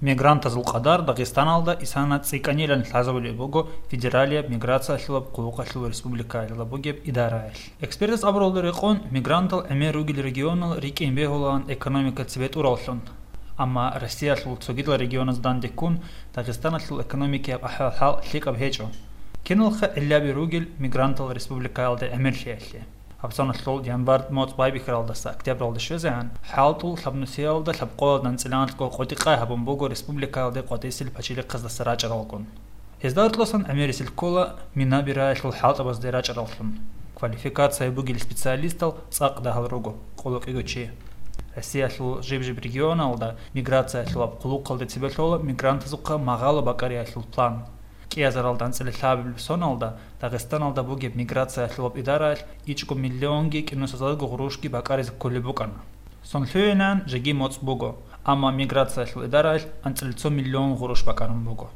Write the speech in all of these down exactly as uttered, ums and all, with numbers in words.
Мигрантазул къадар Дагъистаналда исана цӀикӀкӀанилан лъазабулеб буго федералияб миграциялъулаб хъулухъалъул республикаялда бугеб идараялъ. Экспертаз абуралда рекъон, мигрантал гӀемер ругел регионал рикӀкӀин бегьулаан экономика цебетӀураллъун. Амма Россиялъул цогидал регионазда дандеккун, Дагъистаналъул экономикаяб ахӀвал-хӀал лъикӀаб гьечӀо. Киналха гӀиллаби ругел мигрантал республикаялда гӀемерлъиялъе. ГьабсагӀаталъул январь моцӀ байбихьаралдаса октябралде щвезегӀан, хӀалтӀул лъабнусиялда лъабкъоялда анцӀила анкьго къотӀи-къай гьабун буго республикаялде къватӀисел пачалихъаздаса рачӀаралгун. Гьезда гьоркьосан гӀемерисел ккола мина бираялъул хӀалтӀабазде рачӀараллъун. Квалификация бугел специалистал цӀакъ дагьал руго, къоло кӀиго чи. Россиялъул жиб-жиб регионалда миграциялъулаб хъулухъалде цебе лъола мигрантазухъа магъало бакӀариялъул план. КӀиазаралда анцӀила лъабабилеб соналда Дагъистаналда бугеб миграциялъулаб идараялъ ичӀго миллионги кӀинусазарго гъурущги бакӀаризе кколеб букӀана. Сон лъугӀинан жеги моцӀ буго, амма миграциялъул идараялъ анцӀила цо миллион гъурущ бакӀарун буго.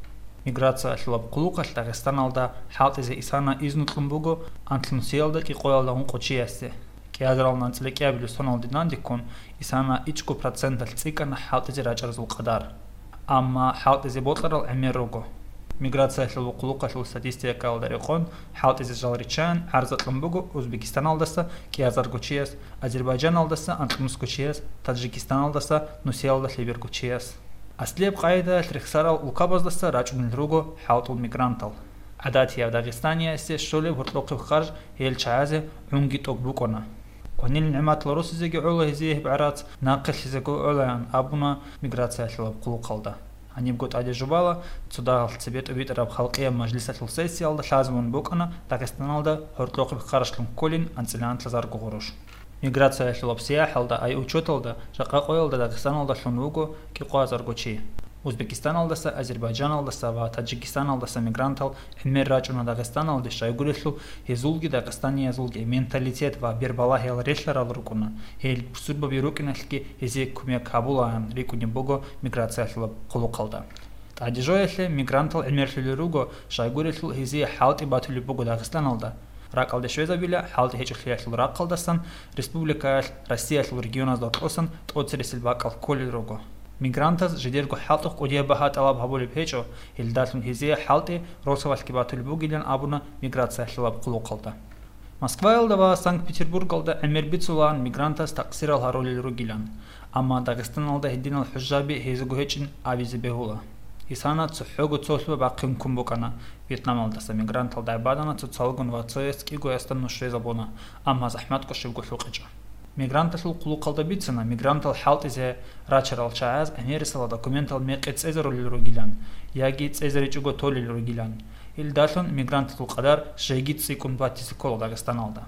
Миграциялъулаб хъулухъалъ Дагъистаналда хӀалтӀизе исана изну кьун буго анлънусиялда кӀикъоялда ункъо чиясе. КӀиазаралда анцӀила кӀиабилеб соналде дандеккун исана ичӀго проценталъ цӀикӀкӀана хӀалтӀизе рачӀаразул къадар. Амма хӀалтӀизе бокьарал гӀемер руго. Миграциялъул хъулухъалъул статистикаялда рекъон, хӀалтӀизе жал риччаян гӀарза кьун буго Узбекистаналдаса кӀиазарго чияс, Азербайджаналдаса анкьнусго чияс, Таджикистаналдаса нусиялда лъеберго чияс. Аслияб къагӀидаялъ рехсарал улкабаздаса рачӀунел руго хӀалтӀул мигрантал. ГӀадатияб дагъистаниясе щолеб гьоркьохъеб харж гьел чагӀазе гӀунги тӀокӀ букӀуна. Кванил нигӀматал росизеги гӀола гьезие гьеб гӀарац, нахъе лъезего гӀолаян абуна миграциялъулаб хъулухъалда. Гьанибго тӀаде жубала, цо дагьалъ цебе тӀибитӀараб халкъияб мажлисалъул сессиялда лъазабун букӀана Дагъистаналда гьоркьохъеб харжлъун кколин анцӀила анлъазарго гъурущ. Миграциялъулаб сияхӀалда, ай учеталда, жакъа къоялда Дагъистаналда лъун вуго кӀикъоязарго чи. Узбекистаналдаса, Азербайджаналдаса ва Таджикистаналдаса мигрантал гӀемер рачӀуна Дагъистаналде, щайгурелъул гьезулги дагъистаниязулги менталитет ва бербалагьиял релълъарал рукӀуна, гьел бусурбаби рукӀиналъги гьезие кумек гьабулаан рикӀкӀунеб буго миграциялъулаб хъулухъалда. ТӀадежоялъе мигрантал гӀемерлъулел руго, щайгурелъул гьезие хӀалтӀи батулеб буго Дагъистаналда. РакӀалде щвезабила хӀалтӀи гьечӀолъиялъул рахъалдасан республикаялъ Россиялъул регионазда кьосан тӀоцересел бакӀал кколел руго. Мигрантаз жидерго хӀалтӀухъ кӀудияб багьа тӀалаб гьабулеб гьечӀо, гьелдалъун гьезие хӀалтӀи росабалъги батулеб бугилан абуна миграциялъулаб хъулухъалда. Москваялда ва Санкт-Петербургалда гӀемер бицулаан мигрантаз такъсирал гьарулел ругилан, амма Дагъистаналда гьединал хӀужаби гьезего гьечӀин абизе бегьула. Исана цохӀого цолъуба бахъин ккун букӀана, Вьетнамалдаса мигрантал дагӀбадана цоцалгун ва цояс кӀигоясда нуш резабуна, амма захӀмат кӀошебго лъукъичӀо. Мигранталъул хъулухъалда бицана, мигрантал хӀалтӀизе рачарал чагӀаз гӀемерисела документал мекъи цӀезарулел ругилан яги цӀезаричӀого толел ругилан. Илдалъун мигрантазул къадар жеги цӀикӀкӀун батизе ккола Дагъистаналда.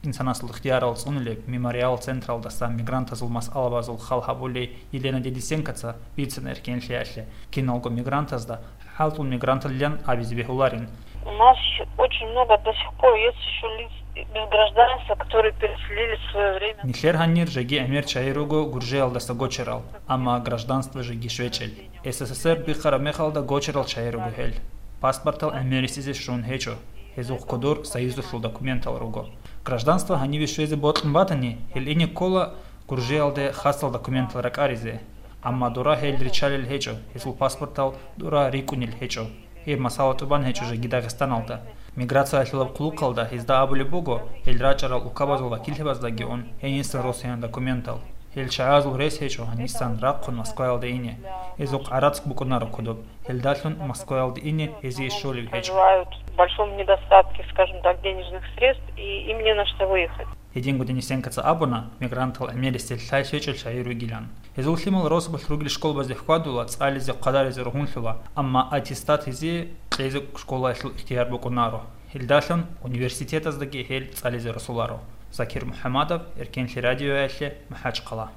Инсанасул ихтиярал цӀунулеб Мемориал централдаса мигрантазул масъалабазул хал гьабулей Елена Денисенкоца бицана эркенлъиялъе, киналго мигрантазда хӀалтӀул мигранталилан абизе бегьуларин. У нас очень много до сих пор есть еще лиц без гражданства, которые переселились в свое время. Нилъер гьанир жеги гӀемер чагӀи руго Гуржиялдаса гочарал, амма гражданство жеги щвечӀел. СССР биххараб мехалда гочарал чагӀи руго гьел. Паспортал гӀемерисезе щун гьечӀо. Гьезухъ кодор союзалъул документал руго. Гражданство гьаниве щвезе бокьун батани, гьел ине ккола Гуржиялде хасал документал ракӀаризе. Амма дора гьел риччалел гьечӀо, гьезул паспортал дора рикӀкӀунел гьечӀо. Гьеб масала тӀубан гьечӀо жеги Дагъистаналда. Миграциялъулаб хъулухъалда гьезда абулеб буго, гьел рачӀарал улкабазул вакиллъабаздаги ун гьенисан росаян документал. Гьел чагӀазул рес гьечӀо гьанисан рахъун Москваялда ине. Гьезухъ гӀарац букӀунаро кодоб. Гьелдалъун Москваялда ине гьезие щолеб гьечӀо. Проживают в большом недостатке, скажем так, денежных средств, и им не на что выехать. Гьединго Денисенкоца абуна, мигрантал гӀемерисел лъай щвечӀел чагӀи ругилан. Гьезул лъимал росабалъ ругел школабазде хьвадула, цӀализе, хъвадаризе рогьунлъула, амма аттестат гьезие кьезе школаялъул ихтияр букӀунаро. Гьелдалъун университетаздаги гьел цӀализе росуларо. Закир МухӀамадов, Эркенлъи радиоялъе, МахӀачхъала.